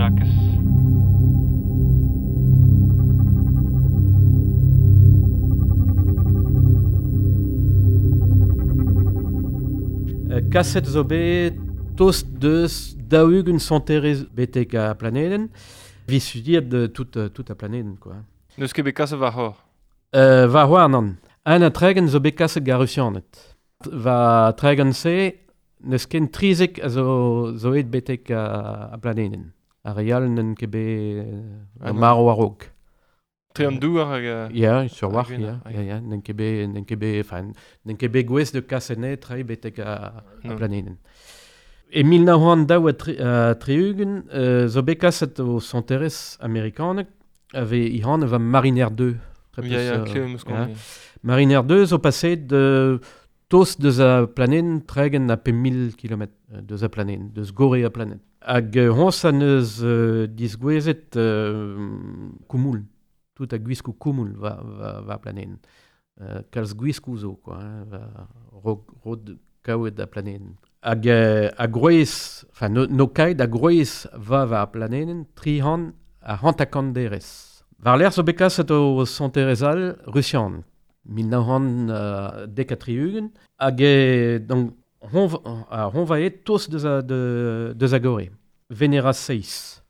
Jakez. Kaset zo bet tost deus 40 sonterez betek a planeden. Vi studiet tout a planeden, quoi. Neus ket bet kaset war hor? War hor, nan. Un a tregen zo bet kaset gar Russianet. Va tregen se, neus ken trizek a zo et betek a planeden. A real n'en ket bet maro a-raok. Tre an douar hag... Ya, sur war, ya, ya, ya, n'en ket bet, enfin, n'en ket bet gwez de kasene trei betek a planeden. E 1932 zo bet kaset o sonterez amerikanek ave ihan va Mariner 2. Ya, ya, klev meus kont. Mariner 2 zo paset de tost deus a planeden tregen a pe 1000 km deus a planeden, deus gore a planeden. Hag hons a neus disgwezet koumoul. Tout a gwiskou koumoul va planeden. Kalz gwiskou zo, quoi, hein, va rod kaouet a planeden. Hag a groez, enfin, no kaet a groez va planeden, tri han a hantakant derez. Var l'air zo bet kaset o sonterez all russian, 1970, hag donc, hon va et tos deus a gore, Venera 6.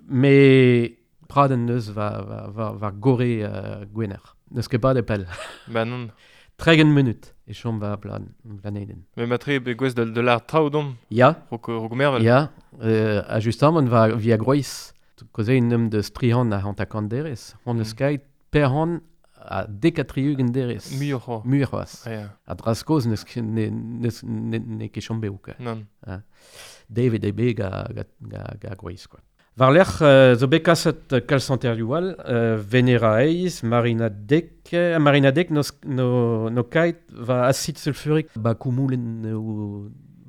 Me praden neus va gore gwener. Neus ket bat e pell. Ba non. 30 minut e chom va planeden. Me matre be gwez de l'ar traoù dom. Ya. Rok mervel. Ya. A justamant va via groiz. Koze un neum deus trihan a hantakant derez. Hon eus kaet perhan a dekatriugen derez. Muioc'h. Muioc'h. Ah, ya. A draskoz neus ne ket chom beo, quoi. Non. David e be ga groiz, quoi. War lec'h zo bet kaset kalz santerioù all, Venera eiz, Marina dek, Marina dek no kaet va acid sulfurik ba koumoulen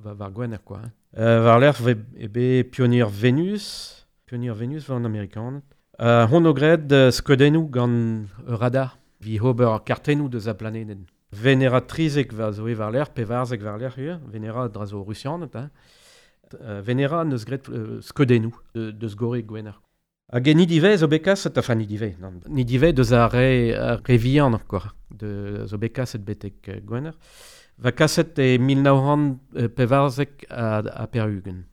war gwener, quoi. War lec'h e be Pioneer Venus, Pioneer Venus war an Amerikan. Hon o graet skeudennoù gant ur radar, vi ober kartennoù deus a planeden. Venera trizek va zo e war lec'h, pevarzek war lec'h ur, Venera dra zo russianet, hein. Venera neus graet skeudennoù deus gore gwener. Hag e nidivez zo bet kaset, enfin nidivez, non, nidivez deus ar re vihan, quoi, de zo bet kaset betek gwener. Va kaset e 1940 a perugen.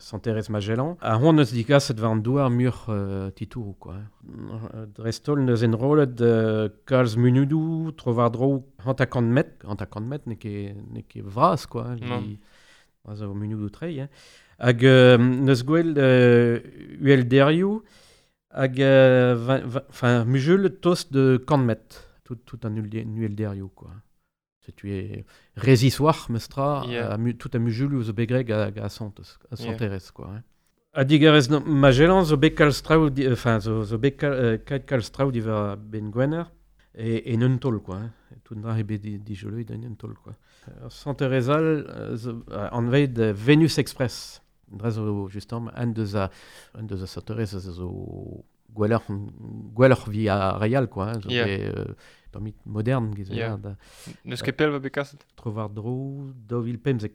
Santerez Magellan. A hon eus digaset war an douar mur titourou, quoi. Drestol neus enrollet kalz munudoù, tro war dro hantakant met, ne ket vras, quoi. Non. Zo munudoù trei, hein. Hag neus gwell uhelderioù hag enfin mujul tost de kant met, tout an uhelderioù, quoi. Setu e reziswar mestra, yeah. Tout a mujul zo bet greg a Santerez, quoi. Hein. A digarez Magellan zo bet kalz traoù, enfin zo bet kaet kalz traoù diwar ben gwener e un tol, quoi. Hein. Tout dra e bet dijoloet en un tol, quoi. Santerez all zo anvet Venus Express. Dra zo justement un deus a Santerez zo gwelloc'h vi a reial, quoi. Hein, zo yeah. bet, tammit modern, giz yeah. Neus ket pell va bet kaset? Tro war dro 2015.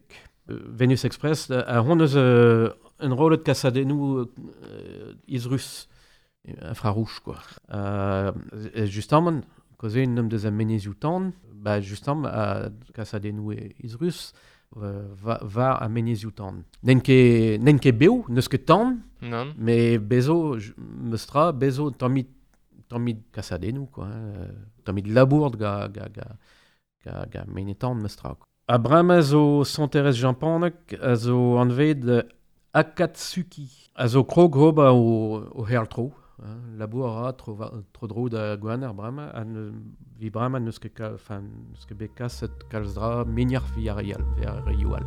Venus Express, a hon eus un rollet kasadennoù izrus, infrarouge, quoi. Justement, koze un neum deus a menezioù tan, ba justement, a kasadennoù izrus, va a menezioù tan. N'en ket bev, neus ket tan, non. Mais bezo, meustra, bezo tammit kasadennoù, quoi. Tammit labour ga menetan meustra. A bremañ zo Santerez Japanek a zo anvet Akatsuki. A zo krog ober o herl-tro. Labour a ra tro dro da gwener bremañ. Ha vi bremañ neus ket bet kaset kalz dra meniac'h vi ar reioù all.